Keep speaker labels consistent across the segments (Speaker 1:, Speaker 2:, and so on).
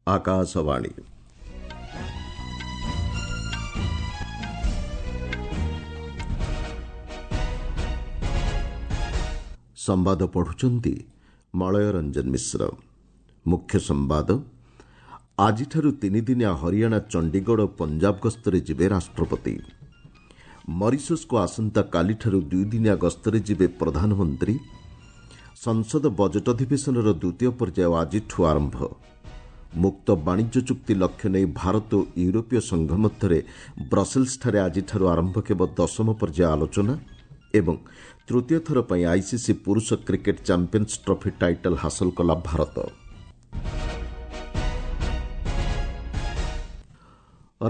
Speaker 1: ଆକାଶବାଣୀ। ସମ୍ବାଦ ପଢୁଛନ୍ତି ମଳୟ ରଞ୍ଜନ ମିଶ୍ର। ମୁଖ୍ୟ ସମ୍ବାଦ, ଆଜିଠାରୁ ତିନିଦିନିଆ ହରିୟାଣା, ଚଣ୍ଡିଗଡ଼ ଓ ପଞ୍ଜାବ ଗସ୍ତରେ ଯିବେ ରାଷ୍ଟ୍ରପତି। ମରିସସ୍କୁ ଆସନ୍ତାକାଲିଠାରୁ ଦୁଇଦିନିଆ ଗସ୍ତରେ ଯିବେ ପ୍ରଧାନମନ୍ତ୍ରୀ। ସଂସଦ ବଜେଟ୍ ଅଧିବେଶନର ଦ୍ୱିତୀୟ ପର୍ଯ୍ୟାୟ ଆଜିଠୁ ଆରମ୍ଭ। ମୁକ୍ତ ବାଣିଜ୍ୟ ଚୁକ୍ତି ଲକ୍ଷ୍ୟ ନେଇ ଭାରତ ଓ ୟୁରୋପୀୟ ସଂଘ ମଧ୍ୟରେ ବ୍ରସେଲ୍ସଠାରେ ଆଜିଠାରୁ ଆରମ୍ଭ ହେବ ଦଶମ ପର୍ଯ୍ୟାୟ ଆଲୋଚନା। ଏବଂ ତୃତୀୟ ଥର ପାଇଁ ଆଇସିସି ପୁରୁଷ କ୍ରିକେଟ୍ ଚାମ୍ପିୟନ୍ସ ଟ୍ରଫି ଟାଇଟଲ୍ ହାସଲ କଲା ଭାରତ।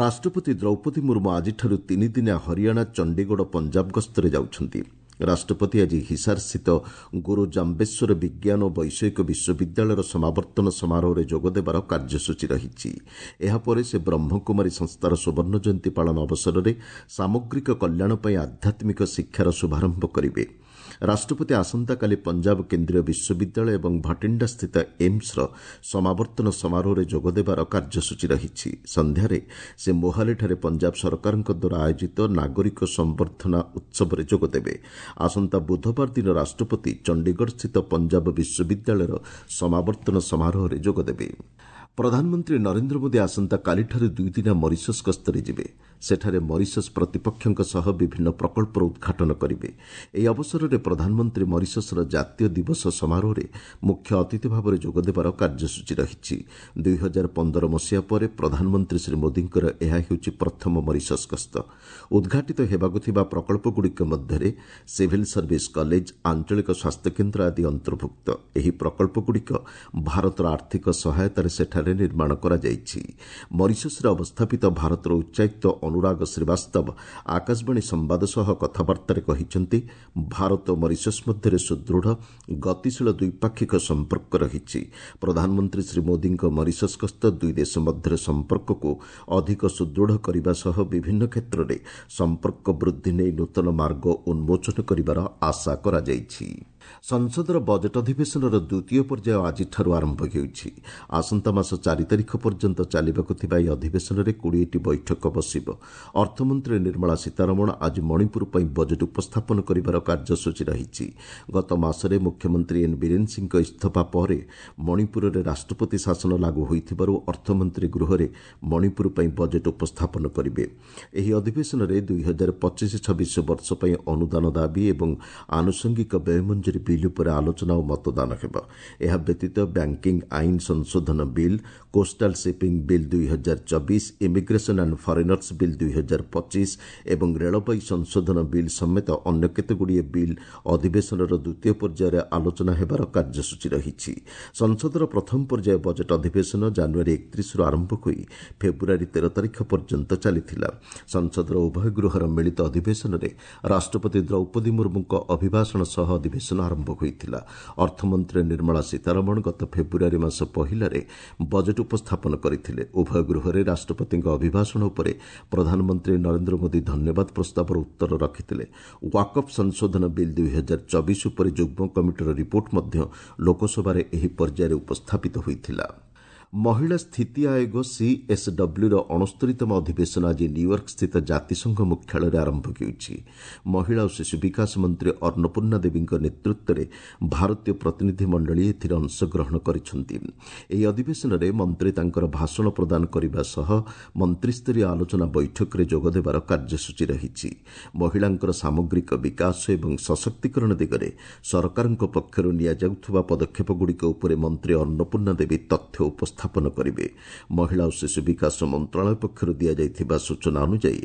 Speaker 1: ରାଷ୍ଟ୍ରପତି ଦ୍ରୌପଦୀ ମୁର୍ମୁ ଆଜିଠାରୁ ତିନିଦିନିଆ ହରିୟାଣା, ଚଣ୍ଡିଗଡ଼ ଓ ପଞ୍ଜାବ ଗସ୍ତରେ ଯାଉଛନ୍ତି। ରାଷ୍ଟ୍ରପତି ଆଜି ହିସାରସ୍ଥିତ ଗୁରୁ ଜାମ୍ବେଶ୍ୱର ବିଜ୍ଞାନ ଓ ବୈଷୟିକ ବିଶ୍ୱବିଦ୍ୟାଳୟର ସମାବର୍ତ୍ତନ ସମାରୋହରେ ଯୋଗଦେବାର କାର୍ଯ୍ୟସୂଚୀ ରହିଛି। ଏହାପରେ ସେ ବ୍ରହ୍ମକୁମାରୀ ସଂସ୍ଥାର ସୁବର୍ଣ୍ଣ ଜୟନ୍ତୀ ପାଳନ ଅବସରରେ ସାମଗ୍ରିକ କଲ୍ୟାଣ ପାଇଁ ଆଧ୍ୟାତ୍ମିକ ଶିକ୍ଷାର ଶୁଭାରମ୍ଭ କରିବେ। ରାଷ୍ଟ୍ରପତି ଆସନ୍ତାକାଲି ପଞ୍ଜାବ କେନ୍ଦ୍ରୀୟ ବିଶ୍ୱବିଦ୍ୟାଳୟ ଏବଂ ଭଟିଣ୍ଡାସ୍ଥିତ ଏମ୍ସର ସମାବର୍ତ୍ତନ ସମାରୋହରେ ଯୋଗଦେବାର କାର୍ଯ୍ୟସୂଚୀ ରହିଛି। ସନ୍ଧ୍ୟାରେ ସେ ମୋହାଲିଠାରେ ପଞ୍ଜାବ ସରକାରଙ୍କ ଦ୍ୱାରା ଆୟୋଜିତ ନାଗରିକ ସମ୍ବର୍ଦ୍ଧନା ଉତ୍ସବରେ ଯୋଗଦେବେ। ଆସନ୍ତା ବୁଧବାର ଦିନ ରାଷ୍ଟ୍ରପତି ଚଣ୍ଡିଗଡ଼ସ୍ଥିତ ପଞ୍ଜାବ ବିଶ୍ୱବିଦ୍ୟାଳୟର ସମାବର୍ତ୍ତନ ସମାରୋହରେ ଯୋଗଦେବେ। ପ୍ରଧାନମନ୍ତ୍ରୀ ନରେନ୍ଦ୍ର ମୋଦି ଆସନ୍ତାକାଲିଠାରୁ ଦୁଇଦିନିଆ ମରିସସ୍ ଗସ୍ତରେ ଯିବେ। ସେଠାରେ ମରିସସ୍ ପ୍ରତିପକ୍ଷଙ୍କ ସହ ବିଭିନ୍ନ ପ୍ରକଳ୍ପର ଉଦ୍ଘାଟନ କରିବେ। ଏହି ଅବସରରେ ପ୍ରଧାନମନ୍ତ୍ରୀ ମରିସସ୍ର ଜାତୀୟ ଦିବସ ସମାରୋହରେ ମୁଖ୍ୟ ଅତିଥି ଭାବରେ ଯୋଗଦେବାର କାର୍ଯ୍ୟସୂଚୀ ରହିଛି। 2015 ମସିହା ପରେ ପ୍ରଧାନମନ୍ତ୍ରୀ ଶ୍ରୀ ମୋଦିଙ୍କର ଏହା ହେଉଛି ପ୍ରଥମ ମରିସସ୍ ଗସ୍ତ। ଉଦ୍ଘାଟିତ ହେବାକୁ ଥିବା ପ୍ରକଳ୍ପଗୁଡ଼ିକ ମଧ୍ୟରେ ସିଭିଲ୍ ସର୍ଭିସ୍ କଲେଜ, ଆଞ୍ଚଳିକ ସ୍ୱାସ୍ଥ୍ୟକେନ୍ଦ୍ର ଆଦି ଅନ୍ତର୍ଭୁକ୍ତ। ଏହି ପ୍ରକଳ୍ପଗୁଡ଼ିକ ଭାରତର ଆର୍ଥିକ ସହାୟତାରେ ସେଠାରେ ନିର୍ମାଣ କରାଯାଇଛି। ମରିସସ୍ରେ ଅବସ୍ଥାପିତ ଭାରତର ଉଚ୍ଚାୟୁକ୍ତ ଅନୁରାଗ ଶ୍ରୀବାସ୍ତବ ଆକାଶବାଣୀ ସମ୍ବାଦ ସହ କଥାବାର୍ତ୍ତାରେ କହିଛନ୍ତି, ଭାରତ ଓ ମରିସସ୍ ମଧ୍ୟରେ ସୁଦୃଢ଼ ଗତିଶୀଳ ଦ୍ୱିପାକ୍ଷିକ ସମ୍ପର୍କ ରହିଛି। ପ୍ରଧାନମନ୍ତ୍ରୀ ଶ୍ରୀ ମୋଦିଙ୍କ ମରିସସ୍ ଗସ୍ତ ଦୁଇ ଦେଶ ମଧ୍ୟରେ ସମ୍ପର୍କକୁ ଅଧିକ ସୁଦୃଢ଼ କରିବା ସହ ବିଭିନ୍ନ କ୍ଷେତ୍ରରେ ସମ୍ପର୍କ ବୃଦ୍ଧି ନେଇ ନୂତନ ମାର୍ଗ ଉନ୍ମୋଚନ କରିବାର ଆଶା କରାଯାଇଛି। ସଂସଦର ବଜେଟ୍ ଅଧିବେଶନର ଦ୍ୱିତୀୟ ପର୍ଯ୍ୟାୟ ଆଜିଠାରୁ ଆରମ୍ଭ ହେଉଛି। ଆସନ୍ତା ମାସ 4 ତାରିଖ ପର୍ଯ୍ୟନ୍ତ ଚାଲିବାକୁ ଥିବା ଏହି ଅଧିବେଶନରେ 20ଟି ବୈଠକ ବସିବ। ଅର୍ଥମନ୍ତ୍ରୀ ନିର୍ମଳା ସୀତାରମଣ ଆଜି ମଣିପୁର ପାଇଁ ବଜେଟ୍ ଉପସ୍ଥାପନ କରିବାର କାର୍ଯ୍ୟସୂଚୀ ରହିଛି। ଗତ ମାସରେ ମୁଖ୍ୟମନ୍ତ୍ରୀ ଏନ୍ ବୀରେନ୍ ସିଂଙ୍କ ଇସ୍ତଫା ପରେ ମଣିପୁରରେ ରାଷ୍ଟ୍ରପତି ଶାସନ ଲାଗୁ ହୋଇଥିବାରୁ ଅର୍ଥମନ୍ତ୍ରୀ ଗୃହରେ ମଣିପୁର ପାଇଁ ବଜେଟ୍ ଉପସ୍ଥାପନ କରିବେ। ଏହି ଅଧିବେଶନରେ 2025-26 ବର୍ଷ ପାଇଁ ଅନୁଦାନ ଦାବି ଏବଂ ଆନୁଷଙ୍ଗିକ ବ୍ୟୟ ମଞ୍ଜୁରୀ ବିଲ୍ ଉପରେ ଆଲୋଚନା ଓ ମତଦାନ ହେବ। ଏହା ବ୍ୟତୀତ ବ୍ୟାଙ୍କିଂ ଆଇନ ସଂଶୋଧନ bill, coastal shipping bill 2024, immigration and foreigners bill 2025 ଏବଂ ରେଳବାଇ ସଂଶୋଧନ ବିଲ୍ ସମେତ ଅନ୍ୟ କେତେଗୁଡ଼ିଏ ବିଲ୍ ଅଧିବେଶନର ଦ୍ୱିତୀୟ ପର୍ଯ୍ୟାୟରେ ଆଲୋଚନା ହେବାର କାର୍ଯ୍ୟସୂଚୀ ରହିଛି। ସଂସଦର ପ୍ରଥମ ପର୍ଯ୍ୟାୟ ବଜେଟ୍ ଅଧିବେଶନ ଜାନୁଆରୀ 31ରୁ ଆରମ୍ଭ ହୋଇ ଫେବୃଆରୀ 13 ତାରିଖ ପର୍ଯ୍ୟନ୍ତ ଚାଲିଥିଲା। ସଂସଦର ଉଭୟ ଗୃହର ମିଳିତ ଅଧିବେଶନରେ ରାଷ୍ଟ୍ରପତି ଦ୍ରୌପଦୀ ମୁର୍ମୁଙ୍କ ଅଭିଭାଷଣ ସହ ଅଧିବେଶନ ଆରମ୍ଭ ହୋଇଥିଲା। ଅର୍ଥମନ୍ତ୍ରୀ ନିର୍ମଳା ସୀତାରମଣ ଗତ ଫେବୃଆରୀ ମାସ ପହିଲାରେ ବଜେଟ୍ ଉପସ୍ଥାପନ କରିଥିଲେ। ଉଭୟ ଗୃହରେ ରାଷ୍ଟ୍ରପତିଙ୍କ ଅଭିଭାଷଣ ଉପରେ ପ୍ରଧାନମନ୍ତ୍ରୀ ନରେନ୍ଦ୍ର ମୋଦି ଧନ୍ୟବାଦ ପ୍ରସ୍ତାବର ଉତ୍ତର ରଖିଥିଲେ। ୱାକଫ୍ ସଂଶୋଧନ ବିଲ୍ 2024 ଉପରେ ଯୁଗ୍ମ କମିଟିର ରିପୋର୍ଟ ମଧ୍ୟ ଲୋକସଭାରେ ଏହି ପର୍ଯ୍ୟାୟରେ ଉପସ୍ଥାପିତ ହୋଇଥିଲା। ମହିଳା ସ୍ଥିତି ଆୟୋଗ ସିଏସ୍ଡବ୍ଲ୍ୟୁର 69ତମ ଅଧିବେଶନ ଆଜି ନ୍ୟୁୟର୍କସ୍ଥିତ ଜାତିସଂଘ ମୁଖ୍ୟାଳୟରେ ଆରମ୍ଭ ହେଉଛି। ମହିଳା ଓ ଶିଶୁ ବିକାଶ ମନ୍ତ୍ରୀ ଅନ୍ନପୂର୍ଣ୍ଣା ଦେବୀଙ୍କ ନେତୃତ୍ୱରେ ଭାରତୀୟ ପ୍ରତିନିଧି ମଣ୍ଡଳୀ ଏଥିରେ ଅଂଶଗ୍ରହଣ କରିଛନ୍ତି। ଏହି ଅଧିବେଶନରେ ମନ୍ତ୍ରୀ ତାଙ୍କର ଭାଷଣ ପ୍ରଦାନ କରିବା ସହ ମନ୍ତ୍ରିସ୍ତରୀୟ ଆଲୋଚନା ବୈଠକରେ ଯୋଗଦେବାର କାର୍ଯ୍ୟସୂଚୀ ରହିଛି। ମହିଳାଙ୍କର ସାମଗ୍ରିକ ବିକାଶ ଏବଂ ସଶକ୍ତିକରଣ ଦିଗରେ ସରକାରଙ୍କ ପକ୍ଷରୁ ନିଆଯାଉଥିବା ପଦକ୍ଷେପଗୁଡ଼ିକ ଉପରେ ମନ୍ତ୍ରୀ ଅନ୍ନପୂର୍ଣ୍ଣା ଦେବୀ ତଥ୍ୟ ଉପସ୍ଥାପନ କରିବେ। ମହିଳା ଓ ଶିଶୁ ବିକାଶ ମନ୍ତ୍ରଣାଳୟ ପକ୍ଷରୁ ଦିଆଯାଇଥିବା ସୂଚନା ଅନୁଯାୟୀ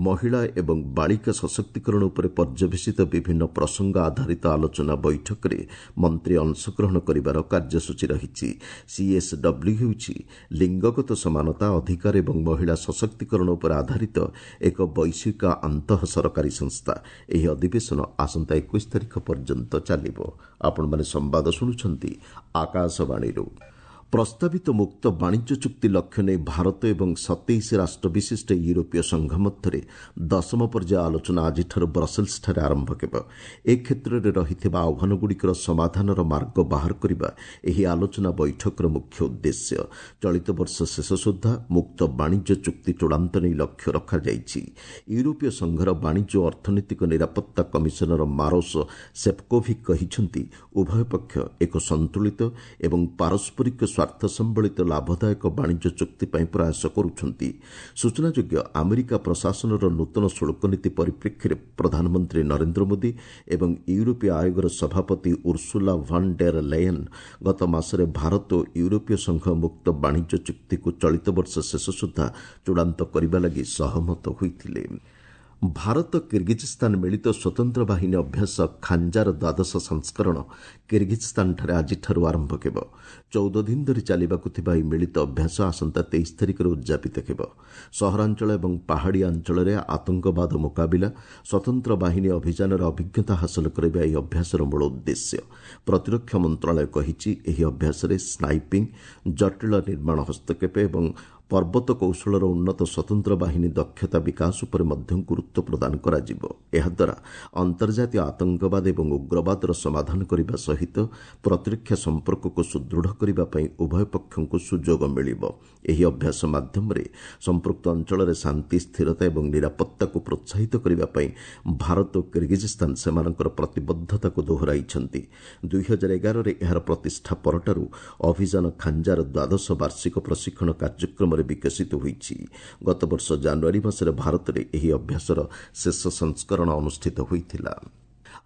Speaker 1: ମହିଳା ଏବଂ ବାଳିକା ସଶକ୍ତିକରଣ ଉପରେ ପର୍ଯ୍ୟବେସିତ ବିଭିନ୍ନ ପ୍ରସଙ୍ଗ ଆଧାରିତ ଆଲୋଚନା ବୈଠକରେ ମନ୍ତ୍ରୀ ଅଂଶଗ୍ରହଣ କରିବାର କାର୍ଯ୍ୟସୂଚୀ ରହିଛି। ସିଏସ୍ଡବ୍ଲ୍ୟୁ ହେଉଛି ଲିଙ୍ଗଗତ ସମାନତା, ଅଧିକାର ଏବଂ ମହିଳା ସଶକ୍ତିକରଣ ଉପରେ ଆଧାରିତ ଏକ ବୈଶ୍ୱିକ ଆନ୍ତଃ ସରକାରୀ ସଂସ୍ଥା। ଏହି ଅଧିବେଶନ ଆସନ୍ତା 21 ତାରିଖ ପର୍ଯ୍ୟନ୍ତ ଚାଲିବ। ଆପଣମାନେ ସମ୍ବାଦ ଶୁଣୁଛନ୍ତି ଆକାଶବାଣୀରୁ। ପ୍ରସ୍ତାବିତ ମୁକ୍ତ ବାଣିଜ୍ୟ ଚୁକ୍ତି ଲକ୍ଷ୍ୟ ନେଇ ଭାରତ ଏବଂ 27 ରାଷ୍ଟ୍ର ବିଶିଷ୍ଟ ୟୁରୋପୀୟ ସଂଘ ମଧ୍ୟରେ ଦଶମ ପର୍ଯ୍ୟାୟ ଆଲୋଚନା ଆଜିଠାରୁ ବ୍ରସେଲ୍ସଠାରେ ଆରମ୍ଭ ହେବ। ଏ କ୍ଷେତ୍ରରେ ରହିଥିବା ଆହ୍ୱାନଗୁଡ଼ିକର ସମାଧାନର ମାର୍ଗ ବାହାର କରିବା ଏହି ଆଲୋଚନା ବୈଠକର ମୁଖ୍ୟ ଉଦ୍ଦେଶ୍ୟ। ଚଳିତ ବର୍ଷ ଶେଷ ସୁଦ୍ଧା ମୁକ୍ତ ବାଣିଜ୍ୟ ଚୁକ୍ତି ଚୂଡ଼ାନ୍ତ ନେଇ ଲକ୍ଷ୍ୟ ରଖାଯାଇଛି। ୟୁରୋପୀୟ ସଂଘର ବାଣିଜ୍ୟ ଓ ଅର୍ଥନୈତିକ ନିରାପତ୍ତା କମିଶନର ମାରୋସ ସେଫ୍କୋଭିକ୍ କହିଛନ୍ତି, ଉଭୟ ପକ୍ଷ ଏକ ସନ୍ତୁଳିତ ଏବଂ ପାରସ୍ପରିକ ସ୍ୱାର୍ଥ ସମ୍ବଳିତ ଲାଭଦାୟକ ବାଣିଜ୍ୟ ଚୁକ୍ତି ପାଇଁ ପ୍ରୟାସ କରୁଛନ୍ତି। ସୂଚନାଯୋଗ୍ୟ, ଆମେରିକା ପ୍ରଶାସନର ନୂତନ ଶୁଳ୍କ ନୀତି ପରିପ୍ରେକ୍ଷୀରେ ପ୍ରଧାନମନ୍ତ୍ରୀ ନରେନ୍ଦ୍ର ମୋଦି ଏବଂ ୟୁରୋପୀୟ ଆୟୋଗର ସଭାପତି ଉର୍ସୁଲା ଭାନ୍ ଡେର୍ ଲେୟେନ୍ ଗତ ମାସରେ ଭାରତ ଓ ୟୁରୋପୀୟ ସଂଘ ମୁକ୍ତ ବାଣିଜ୍ୟ ଚୁକ୍ତିକୁ ଚଳିତ ବର୍ଷ ଶେଷ ସୁଦ୍ଧା ଚୂଡ଼ାନ୍ତ କରିବା ଲାଗି ସହମତ ହୋଇଥିଲେ। ଭାରତ କିର୍ଗିଜ୍ସ୍ତାନ ମିଳିତ ସ୍ୱତନ୍ତ୍ର ବାହିନୀ ଅଭ୍ୟାସ ଖାଞ୍ଜାର ଦ୍ୱାଦଶ ସଂସ୍କରଣ କିର୍ଗିଜ୍ସ୍ତାନଠାରେ ଆଜିଠାରୁ ଆରମ୍ଭ ହେବ। 14 ଦିନ ଧରି ଚାଲିବାକୁ ଥିବା ଏହି ମିଳିତ ଅଭ୍ୟାସ ଆସନ୍ତା 23 ତାରିଖରେ ଉଦ୍ଯାପିତ ହେବ। ସହରାଞ୍ଚଳ ଏବଂ ପାହାଡ଼ିଆ ଅଞ୍ଚଳରେ ଆତଙ୍କବାଦ ମୁକାବିଲା, ସ୍ୱତନ୍ତ୍ର ବାହିନୀ ଅଭିଯାନର ଅଭିଜ୍ଞତା ହାସଲ କରିବା ଏହି ଅଭ୍ୟାସର ମୂଳ ଉଦ୍ଦେଶ୍ୟ। ପ୍ରତିରକ୍ଷା ମନ୍ତ୍ରଣାଳୟ କହିଛି, ଏହି ଅଭ୍ୟାସରେ ସ୍ନାଇପିଂ, ଜଟିଳ ନିର୍ମାଣ ହସ୍ତକ୍ଷେପ ଏବଂ ପର୍ବତ କୌଶଳର ଉନ୍ନତ ସ୍ୱତନ୍ତ୍ର ବାହିନୀ ଦକ୍ଷତା ବିକାଶ ଉପରେ ମଧ୍ୟ ଗୁରୁତ୍ୱ ପ୍ରଦାନ କରାଯିବ। ଏହାଦ୍ୱାରା ଅନ୍ତର୍ଜାତୀୟ ଆତଙ୍କବାଦ ଏବଂ ଉଗ୍ରବାଦର ସମାଧାନ କରିବା ସହିତ ପ୍ରତିରକ୍ଷା ସମ୍ପର୍କକୁ ସୁଦୃଢ଼ କରିବା ପାଇଁ ଉଭୟ ପକ୍ଷଙ୍କୁ ସୁଯୋଗ ମିଳିବ। ଏହି ଅଭ୍ୟାସ ମାଧ୍ୟମରେ ସମ୍ପୃକ୍ତ ଅଞ୍ଚଳରେ ଶାନ୍ତି, ସ୍ଥିରତା ଏବଂ ନିରାପତ୍ତାକୁ ପ୍ରୋତ୍ସାହିତ କରିବା ପାଇଁ ଭାରତ ଓ କିର୍ଗିଜ୍ସ୍ତାନ ସେମାନଙ୍କର ପ୍ରତିବଦ୍ଧତାକୁ ଦୋହରାଇଛନ୍ତି। 2011ରେ ଏହାର ପ୍ରତିଷ୍ଠା ପରଠାରୁ ଅଭିଯାନ ଖାଞ୍ଜାର ଦ୍ୱାଦଶ ବାର୍ଷିକ ପ୍ରଶିକ୍ଷଣ କାର୍ଯ୍ୟକ୍ରମରେ ବିକଶିତ ହୋଇଛି। ଗତବର୍ଷ ଜାନୁଆରୀ ମାସରେ ଭାରତରେ ଏହି ଅଭ୍ୟାସର ଶେଷ ସଂସ୍କରଣ ଅନୁଷ୍ଠିତ ହୋଇଥିଲା।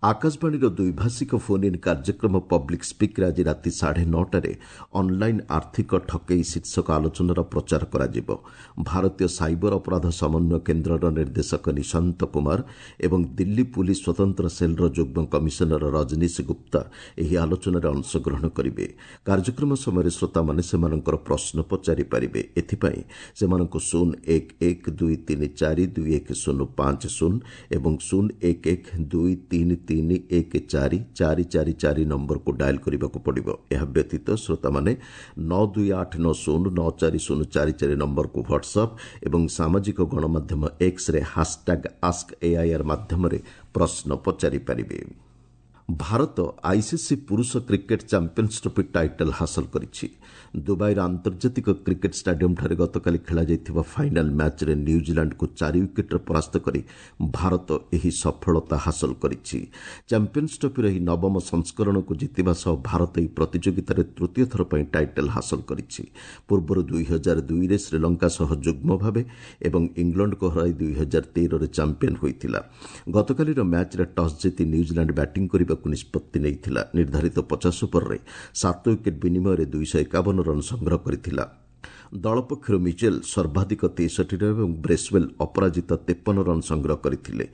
Speaker 1: ଆକାଶବାଣୀର ଦ୍ୱିଭାଷିକ ଫୋନ୍ ଇନ୍ କାର୍ଯ୍ୟକ୍ରମ ପବ୍ଲିକ୍ ସ୍ପିକ୍ରେ ଆଜି ରାତି 9:30ରେ ଅନ୍ଲାଇନ୍ ଆର୍ଥିକ ଠକେଇ ଶୀର୍ଷକ ଆଲୋଚନାର ପ୍ରଚାର କରାଯିବ। ଭାରତୀୟ ସାଇବର ଅପରାଧ ସମନ୍ୱୟ କେନ୍ଦ୍ରର ନିର୍ଦ୍ଦେଶକ ନିଶାନ୍ତ କୁମାର ଏବଂ ଦିଲ୍ଲୀ ପୁଲିସ୍ ସ୍ୱତନ୍ତ୍ର ସେଲ୍ର ଯୁଗ୍ମ କମିଶନର ରଜନୀଶ ଗୁପ୍ତା ଏହି ଆଲୋଚନାରେ ଅଂଶଗ୍ରହଣ କରିବେ। କାର୍ଯ୍ୟକ୍ରମ ସମୟରେ ଶ୍ରୋତାମାନେ ସେମାନଙ୍କର ପ୍ରଶ୍ନ ପଚାରିପାରିବେ। ଏଥିପାଇଁ ସେମାନଙ୍କୁ 0 1 1 2 3 4 2 1 0 5 0 ଏବଂ 0 1 1 2 3 3 1 4 4 4 4 ନମ୍ବରକୁ ଡାଏଲ୍ କରିବାକୁ ପଡ଼ିବ। ଏହା ବ୍ୟତୀତ ଶ୍ରୋତାମାନେ 9 2 8 9 0 9 4 0 4 4 ନମ୍ବରକୁ ହ୍ୱାଟ୍ସଆପ୍ ଏବଂ ସାମାଜିକ ଗଣମାଧ୍ୟମ ଏକ୍ସରେ ହାସ୍ଟ୍ୟାଗ୍ ଆସ୍କ ଏଆଇଆର୍ ମାଧ୍ୟମରେ ପ୍ରଶ୍ନ ପଚାରିପାରିବେ। ଭାରତ ଆଇସିସି ପୁରୁଷ କ୍ରିକେଟ୍ ଚାମ୍ପିୟନ୍ସ ଟ୍ରଫି ଟାଇଟଲ୍ ହାସଲ କରିଛି। ଦୁବାଇର ଆନ୍ତର୍ଜାତିକ କ୍ରିକେଟ୍ ଷ୍ଟାଡିୟମ୍ଠାରେ ଗତକାଲି ଖେଳାଯାଇଥିବା ଫାଇନାଲ୍ ମ୍ୟାଚ୍ରେ ନ୍ୟୁଜିଲାଣ୍ଡକୁ 4 ୱିକେଟ୍ରେ ପରାସ୍ତ କରି ଭାରତ ଏହି ସଫଳତା ହାସଲ କରିଛି। ଚାମ୍ପିୟନ୍ସ ଟ୍ରଫିର ଏହି ନବମ ସଂସ୍କରଣକୁ ଜିତିବା ସହ ଭାରତ ଏହି ପ୍ରତିଯୋଗିତାରେ ତୃତୀୟ ଥର ପାଇଁ ଟାଇଟଲ୍ ହାସଲ କରିଛି। ପୂର୍ବରୁ 2002ରେ ଶ୍ରୀଲଙ୍କା ସହ ଯୁଗ୍ମ ଭାବେ ଏବଂ ଇଂଲଣ୍ଡକୁ ହରାଇ 2013ରେ ଚାମ୍ପିୟନ୍ ହୋଇଥିଲା। ଗତକାଲିର ମ୍ୟାଚ୍ରେ ଟସ୍ ଜିତି ନ୍ୟୁଜିଲାଣ୍ଡ ବ୍ୟାଟିଂ କରିବାକୁ ନିଷ୍ପତ୍ତି ନେଇଥିଲା। ନିର୍ଦ୍ଧାରିତ 50 ଓଭରରେ 7 ୱିକେଟ୍ ବିନିମୟରେ 251 ରନ୍ ସଂଗ୍ରହ କରିଥିଲା। ଦଳ ପକ୍ଷରୁ ମିଚେଲ୍ ସର୍ବାଧିକ 63 ରନ୍ ଏବଂ ବ୍ରେସ୍ୱେଲ୍ ଅପରାଜିତ 53 ରନ୍ ସଂଗ୍ରହ କରିଥିଲେ।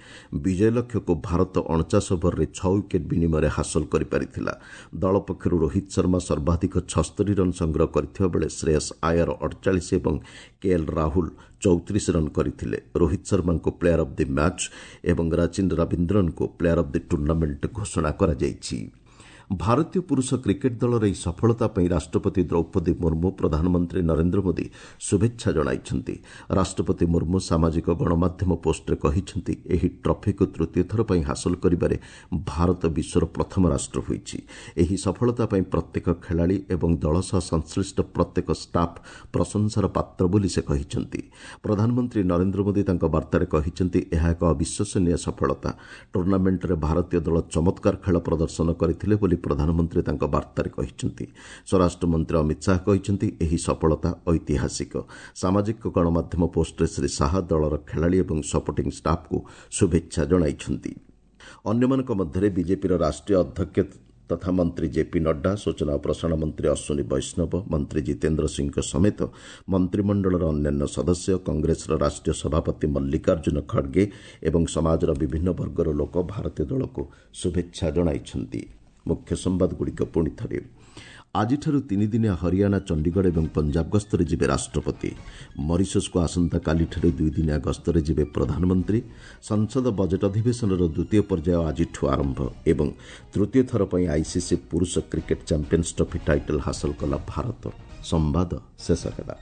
Speaker 1: ବିଜୟ ଲକ୍ଷ୍ୟକୁ ଭାରତ 49 ଓଭରରେ 6 ୱିକେଟ୍ ବିନିମୟରେ ହାସଲ କରିପାରିଥିଲା। ଦଳ ପକ୍ଷରୁ ରୋହିତ ଶର୍ମା ସର୍ବାଧିକ 76 ରନ୍ ସଂଗ୍ରହ କରିଥିବା ବେଳେ ଶ୍ରେୟସ୍ ଆୟର 48 ଏବଂ କେଏଲ୍ ରାହୁଲ 34 ରନ୍ କରିଥିଲେ। ରୋହିତ ଶର୍ମାଙ୍କୁ ପ୍ଲେୟାର ଅଫ୍ the match ଏବଂ ରଚିନ୍ ରବୀନ୍ଦ୍ରନଙ୍କୁ ପ୍ଲେୟାର ଅଫ୍ the tournament ଘୋଷଣା କରାଯାଇଛି। ଭାରତୀୟ ପୁରୁଷ କ୍ରିକେଟ୍ ଦଳର ଏହି ସଫଳତା ପାଇଁ ରାଷ୍ଟ୍ରପତି ଦ୍ରୌପଦୀ ମୁର୍ମୁ, ପ୍ରଧାନମନ୍ତ୍ରୀ ନରେନ୍ଦ୍ର ମୋଦି ଶୁଭେଚ୍ଛା ଜଣାଇଛନ୍ତି। ରାଷ୍ଟ୍ରପତି ମୁର୍ମୁ ସାମାଜିକ ଗଣମାଧ୍ୟମ ପୋଷ୍ଟରେ କହିଛନ୍ତି, ଏହି ଟ୍ରଫିକୁ ତୃତୀୟ ଥର ପାଇଁ ହାସଲ କରିବାରେ ଭାରତ ବିଶ୍ୱର ପ୍ରଥମ ରାଷ୍ଟ୍ର ହୋଇଛି। ଏହି ସଫଳତା ପାଇଁ ପ୍ରତ୍ୟେକ ଖେଳାଳି ଏବଂ ଦଳ ସହ ସଂଶ୍ଳିଷ୍ଟ ପ୍ରତ୍ୟେକ ଷ୍ଟାଫ୍ ପ୍ରଶଂସାର ପାତ୍ର ବୋଲି ସେ କହିଛନ୍ତି। ପ୍ରଧାନମନ୍ତ୍ରୀ ନରେନ୍ଦ୍ର ମୋଦି ତାଙ୍କ ବାର୍ତ୍ତାରେ କହିଛନ୍ତି, ଏହା ଏକ ଅବିଶ୍ୱସନୀୟ ସଫଳତା। ଟୁର୍ଣ୍ଣାମେଣ୍ଟରେ ଭାରତୀୟ ଦଳ ଚମତ୍କାର ଖେଳ ପ୍ରଦର୍ଶନ କରିଥିଲେ ବୋଲି ପ୍ରଧାନମନ୍ତ୍ରୀ ତାଙ୍କ ବାର୍ତ୍ତାରେ କହିଛନ୍ତି। ସ୍ୱରାଷ୍ଟ୍ରମନ୍ତ୍ରୀ ଅମିତ ଶାହା କହିଛନ୍ତି, ଏହି ସଫଳତା ଐତିହାସିକ। ସାମାଜିକ ଗଣମାଧ୍ୟମ ପୋଷ୍ଟରେ ଶ୍ରୀ ଶାହା ଦଳର ଖେଳାଳି ଏବଂ ସପୋର୍ଟିଂ ଷ୍ଟାଫ୍କୁ ଶୁଭେଚ୍ଛା ଜଣାଇଛନ୍ତି। ଅନ୍ୟମାନଙ୍କ ମଧ୍ୟରେ ବିଜେପିର ରାଷ୍ଟ୍ରୀୟ ଅଧ୍ୟକ୍ଷ ତଥା ମନ୍ତ୍ରୀ ଜେପି ନଡ୍ଡା, ସୂଚନା ଓ ପ୍ରସାରଣ ମନ୍ତ୍ରୀ ଅଶ୍ୱିନୀ ବୈଷ୍ଣବ, ମନ୍ତ୍ରୀ ଜିତେନ୍ଦ୍ର ସିଂଙ୍କ ସମେତ ମନ୍ତ୍ରିମଣ୍ଡଳର ଅନ୍ୟାନ୍ୟ ସଦସ୍ୟ, କଂଗ୍ରେସର ରାଷ୍ଟ୍ରୀୟ ସଭାପତି ମଲ୍ଲିକାର୍ଜୁନ ଖଡ୍ଗେ ଏବଂ ସମାଜର ବିଭିନ୍ନ ବର୍ଗର ଲୋକ ଭାରତୀୟ ଦଳକୁ ଶୁଭେଚ୍ଛା ଜଣାଇଛନ୍ତି। ମୁଖ୍ୟ ସମ୍ବାଦଗୁଡ଼ିକ ପୁଣି ଥରେ। ଆଜିଠାରୁ ତିନିଦିନିଆ ହରିୟାଣା, ଚଣ୍ଡିଗଡ଼ ଏବଂ ପଞ୍ଜାବ ଗସ୍ତରେ ଯିବେ ରାଷ୍ଟ୍ରପତି। ମରିସସ୍କୁ ଆସନ୍ତାକାଲିଠାରୁ ଦୁଇଦିନିଆ ଗସ୍ତରେ ଯିବେ ପ୍ରଧାନମନ୍ତ୍ରୀ। ସଂସଦ ବଜେଟ୍ ଅଧିବେଶନର ଦ୍ୱିତୀୟ ପର୍ଯ୍ୟାୟ ଆଜିଠୁ ଆରମ୍ଭ ଏବଂ ତୃତୀୟ ଥର ପାଇଁ ଆଇସିସି ପୁରୁଷ କ୍ରିକେଟ୍ ଚାମ୍ପିୟନ୍ସ ଟ୍ରଫି ଟାଇଟଲ୍ ହାସଲ କଲା ଭାରତ। ସମ୍ବାଦ ଶେଷ ହେଲା।